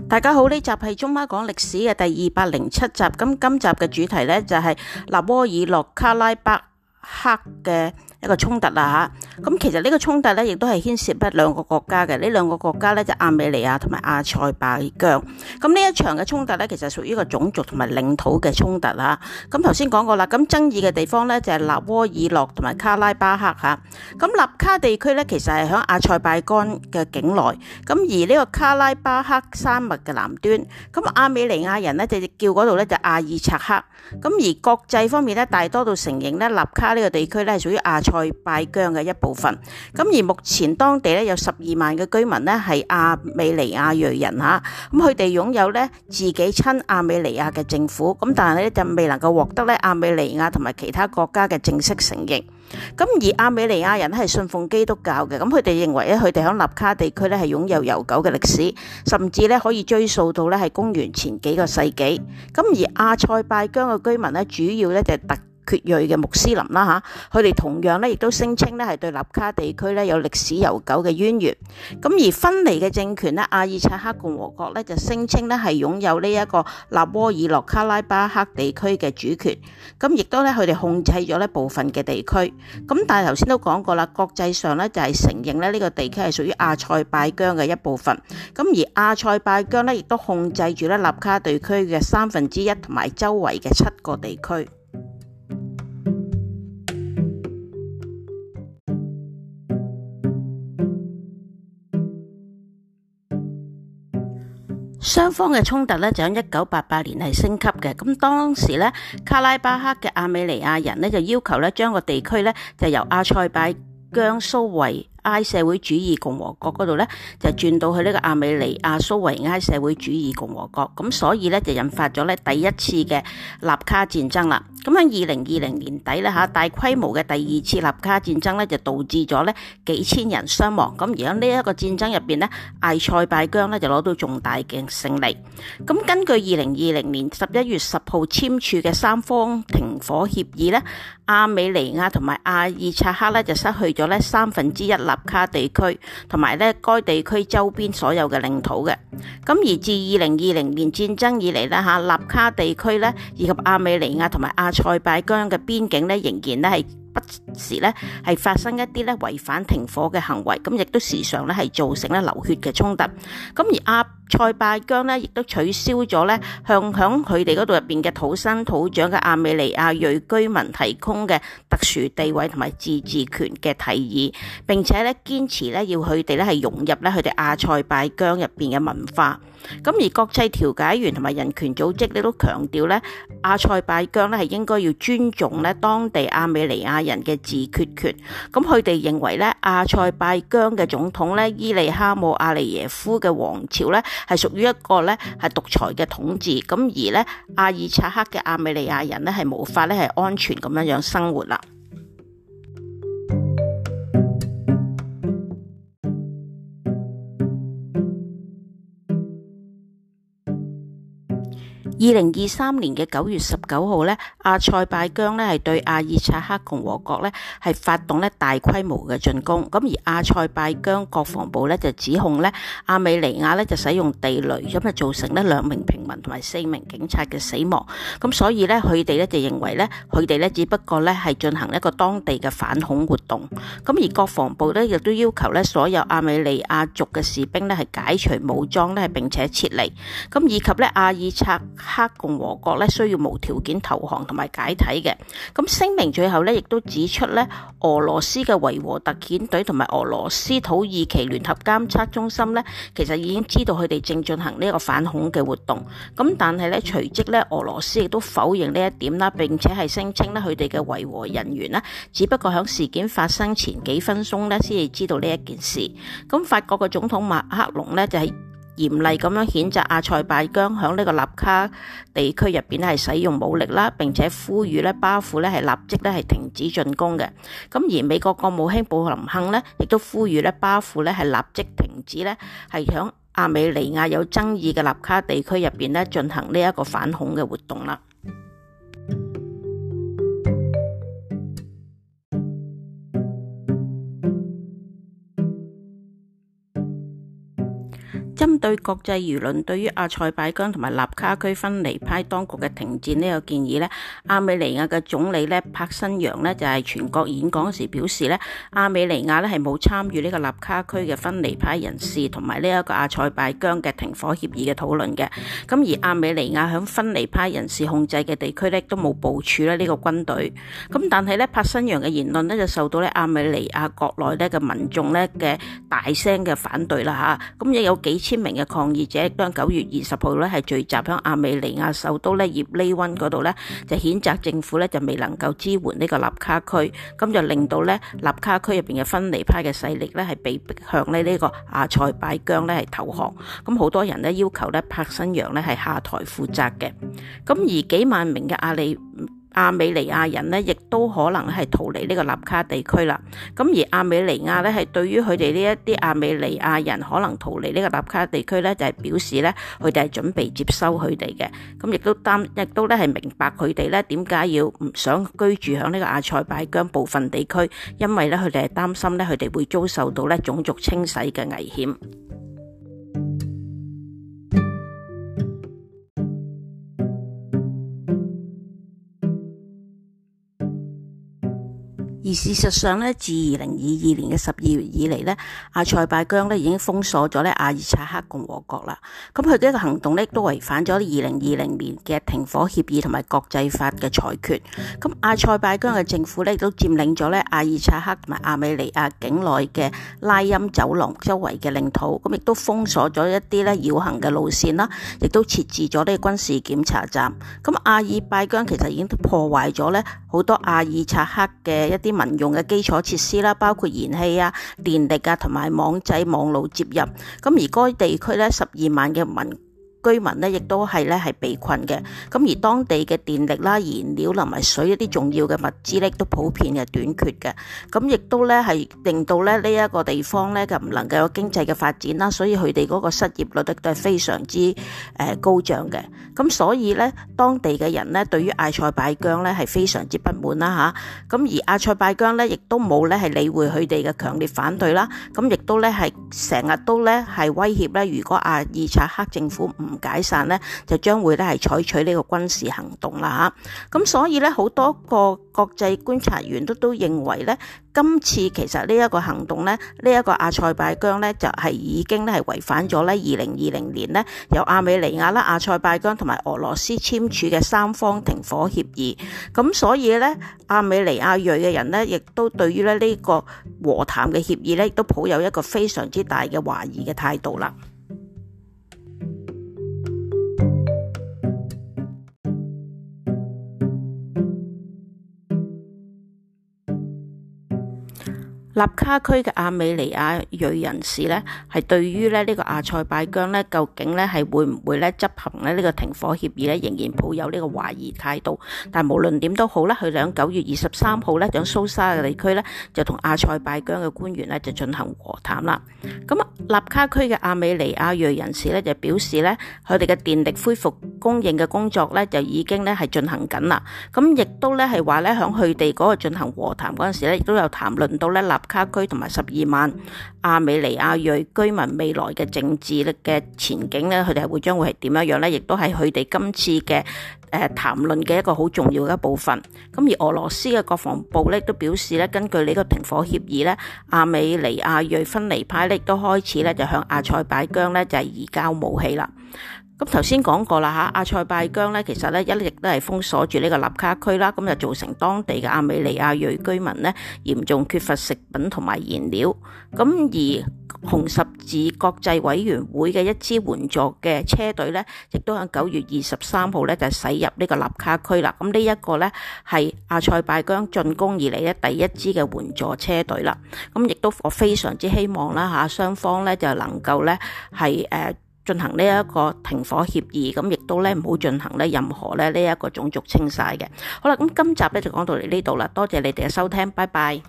大家好，呢集係中媽講歷史嘅第207集。咁今集嘅主題呢，就係納戈爾諾卡拉巴克嘅一個衝突啦吓。咁其實呢個衝突呢，亦都係牽涉兩個國家嘅。呢兩個國家呢，就亞美尼亞同埋阿塞拜疆。咁呢一場嘅衝突呢，其實屬於一個種族同埋領土嘅衝突吓。咁頭先講過啦，咁爭議嘅地方呢，就係納戈爾諾同埋卡拉巴克吓。咁納卡地區呢，其實係響阿塞拜疆嘅境內。咁而呢個卡拉巴克山脈嘅南端，咁亞美尼亞人呢，就叫嗰度呢，就阿爾察克。咁而國際方面呢，大多都承認呢納卡呢個地區呢，係屬於阿塞拜疆嘅一部分。咁而目前當地呢，有12萬嘅居民呢，係亞美尼亞裔人吓。咁佢哋擁有呢自己親亞美尼亞嘅政府，咁但係呢，就未能夠獲得呢亞美尼亞同埋其他國家嘅正式承認。咁而亞美尼亞人係信奉基督教嘅，咁佢哋認為咧，佢哋喺納卡地區咧係擁有悠久嘅歷史，甚至咧可以追溯到咧係公元前幾個世紀。咁而阿塞拜疆嘅居民咧，主要咧就係突厥裔嘅穆斯林啦吓，佢哋同樣咧亦都聲稱咧係對納卡地區咧有歷史悠久嘅淵源。咁而分離嘅政權咧，阿爾察克共和國咧就聲稱咧係擁有呢一個納戈爾諾卡拉巴克地區嘅主權。咁亦都咧佢哋控制咗呢部分嘅地區。咁但係頭先都講過啦，國際上咧就係承認咧呢個地區係屬於阿塞拜疆嘅一部分。咁而阿塞拜疆咧亦都控制住咧納卡地區嘅1/3同埋周圍嘅7個地區。雙方嘅衝突咧就喺1988年係升級嘅。咁當時咧卡拉巴克嘅亞美尼亞人咧就要求咧將個地區咧就由阿塞拜疆蘇維埃社會主義共和國嗰度咧就轉到去呢個亞美尼亞蘇維埃社會主義共和國。咁所以咧就引發咗咧第一次嘅納卡戰爭啦。咁喺2020年底咧吓，大規模嘅第二次納卡戰爭咧就導致咗咧幾千人傷亡。咁而喺呢一個戰爭入邊咧，阿塞拜疆咧就攞到重大嘅勝利。咁根據2020年11月10號簽署嘅3方停火協議咧，亞美尼亞同埋阿爾察克咧就失去咗咧1/3納卡地區同埋咧該地區周邊所有嘅領土嘅。咁而自2020年戰爭以嚟咧吓，納卡地區咧以及亞美尼亞同埋阿塞拜疆嘅邊境咧仍然咧係不時咧係發生一啲咧違反停火嘅行為，咁亦都時常咧係造成咧流血嘅衝突。咁而阿塞拜疆咧亦都取消咗咧向響佢哋嗰度入邊嘅土生土長嘅亞美尼亞裔居民提供嘅特殊地位同埋自治權嘅提議，並且咧堅持咧要佢哋咧係融入咧佢哋阿塞拜疆入邊嘅文化。咁而國際調解員同埋人權組織咧都強調咧阿塞拜疆咧係應該要尊重咧當地亞美尼亞人嘅自決權。咁佢哋認為咧阿塞拜疆嘅總統咧伊利哈姆阿利耶夫嘅王朝咧係屬於一個咧係獨裁嘅統治。咁而咧阿爾察克嘅亞美尼亞人咧係無法咧係安全咁樣生活啦。2023年嘅9月19號咧，阿塞拜疆咧係對阿爾察克共和國咧係發動咧大規模嘅進攻。咁而阿塞拜疆國防部咧就指控咧亞美尼亞咧就使用地雷，咁就造成咧2名平民同埋4名警察嘅死亡。咁所以咧佢哋咧就認為咧佢哋咧只不過咧係進行一個當地嘅反恐活動。咁而國防部咧亦都要求咧所有亞美尼亞族嘅士兵咧係解除武裝咧並且撤離。咁以及咧阿爾察克共和國咧需要無條件投降同埋解體嘅。咁聲明最後咧亦都指出咧俄羅斯嘅維和特遣隊同埋俄羅斯土耳其聯合監測中心咧其實已經知道佢哋正進行呢個反恐嘅活動。咁但係咧隨即咧俄羅斯亦都否認呢一點啦，並且係聲稱咧佢哋嘅維和人員咧只不過響事件發生前幾分鐘咧先至知道呢一件事。咁法國嘅總統馬克龍咧就係嚴厲咁樣譴責阿塞拜疆響呢個納卡地區入邊係使用武力啦，並且呼籲咧巴庫咧係立即咧係停止進攻嘅。咁而美國國務卿布林肯咧亦都呼籲咧巴庫咧係立即停止咧係響亞美尼亞有爭議嘅納卡地區入邊咧進行呢一個反恐嘅活動啦。針對國際輿論對於阿塞拜疆同埋納卡區分離派當局嘅停戰呢個建議呢，亞美尼亞嘅總理呢帕辛揚呢就係全國演講時表示呢，亞美尼亞呢係冇參與呢個納卡區嘅分離派人士同埋呢一個阿塞拜疆嘅停火協議嘅討論嘅。咁而亞美尼亞響分離派人士控制嘅地區呢都冇部署呢個軍隊。咁但係呢帕辛揚嘅言論呢就受到呢亞美尼亞國內呢嘅民眾呢嘅大聲嘅反對啦嚇。咁亦有幾千名嘅抗議者當9月20號咧係聚集喺亞美尼亞首都咧葉利溫嗰度咧，就譴責政府咧就未能夠支援呢個納卡區，咁就令到咧納卡區入邊嘅分離派嘅勢力咧係被逼向呢個阿塞拜疆咧係投降，咁好多人咧要求咧帕辛揚咧係下台負責嘅，咁而幾萬名嘅亞美尼亞人呢，亦都可能係逃離呢個納卡地區啦。咁而亞美尼亞呢，係對於佢哋呢一啲亞美尼亞人可能逃離呢個納卡地區呢，就係表示呢，佢哋係準備接收佢哋嘅。咁亦都咧係明白佢哋呢點解要唔想居住喺呢個阿塞拜疆部分地區，因為呢，佢哋係擔心呢，佢哋會遭受到呢種族清洗嘅危險。而事實上咧，自2022年嘅12月以嚟咧，阿塞拜疆咧已經封鎖咗咧阿爾察克共和國啦。咁佢呢個行動咧都違反咗2020年嘅停火協議同埋國際法嘅裁決。咁阿塞拜疆嘅政府咧都佔領咗咧阿爾察克同埋亞美尼亞境內嘅拉欽走廊周圍嘅領土，咁亦都封鎖咗一啲咧繞行嘅路線啦，亦都設置咗呢個軍事檢查站。咁阿爾拜疆其實已經破壞咗咧好多阿爾察克嘅一啲民用嘅基礎設施啦，包括燃氣啊、電力啊同埋網際網路接入。咁而該地區咧12萬嘅居民呢亦都係被困嘅，咁而當地嘅電力啦、燃料同埋水一啲重要嘅物資咧都普遍嘅短缺嘅，咁亦都咧係令到咧呢一個地方咧就唔能夠有經濟嘅發展啦，所以佢哋嗰個失業率都係非常之高漲嘅，咁所以咧當地嘅人咧對於阿塞拜疆咧係非常之不滿啦嚇，咁而阿塞拜疆咧亦都冇咧係理會佢哋嘅強烈反對啦，咁亦都咧係成日都咧係威脅咧，如果阿爾察克政府唔解散呢，就將會咧係採取呢個軍事行動啦嚇。咁所以咧好多個國際觀察員都認為咧，今次其實呢一個行動咧，呢一個阿塞拜疆咧就係已經咧係違反咗咧2020年咧由亞美尼亞啦、阿塞拜疆同埋俄羅斯簽署嘅3方停火協議。咁所以咧亞美尼亞裔嘅人咧，亦都對於咧呢個和談嘅協議咧，亦都抱有一個非常之大嘅懷疑嘅態度啦。納卡區嘅亞美尼亞裔人士咧，係對於呢個阿塞拜疆咧，究竟咧係會唔會咧執行咧呢個停火協議咧，仍然抱有呢個懷疑態度。但無論點都好咧，佢喺9月23號咧，喺蘇沙嘅地區咧，就同阿塞拜疆嘅官員咧就進行和談啦。咁納卡區嘅亞美尼亞裔人士咧就表示咧，佢哋嘅電力恢復供應嘅工作咧就已經咧係進行緊啦。咁亦都咧係話咧，喺佢哋嗰個進行和談嗰陣時咧，亦都有談論到咧納卡區同埋12萬亞美尼亞裔居民未來嘅政治嘅前景咧，佢哋將會係點樣樣咧？亦都係佢哋今次嘅談論嘅一個好重要嘅一部分。咁而俄羅斯嘅國防部咧都表示咧，根據呢個停火協議咧，亞美尼亞裔分離派咧都開始咧就向阿塞拜疆咧就係移交武器啦。咁頭先講過啦嚇，阿塞拜疆咧其實咧一直都係封鎖住呢個納卡區啦，咁就造成當地嘅亞美尼亞裔居民咧嚴重缺乏食品同埋燃料。咁而紅十字國際委員會嘅一支援助嘅車隊咧，亦都喺9月23號咧就駛入呢個納卡區啦。咁呢一個咧係阿塞拜疆進攻以嚟咧第一支嘅援助車隊啦。咁亦都我非常之希望啦嚇，雙方咧就能夠咧係進行呢一個停火協議，咁亦都咧唔好進行咧任何咧呢一個種族清洗嘅。好啦，咁今集咧就講到嚟呢度啦，多謝你哋嘅收聽，拜拜。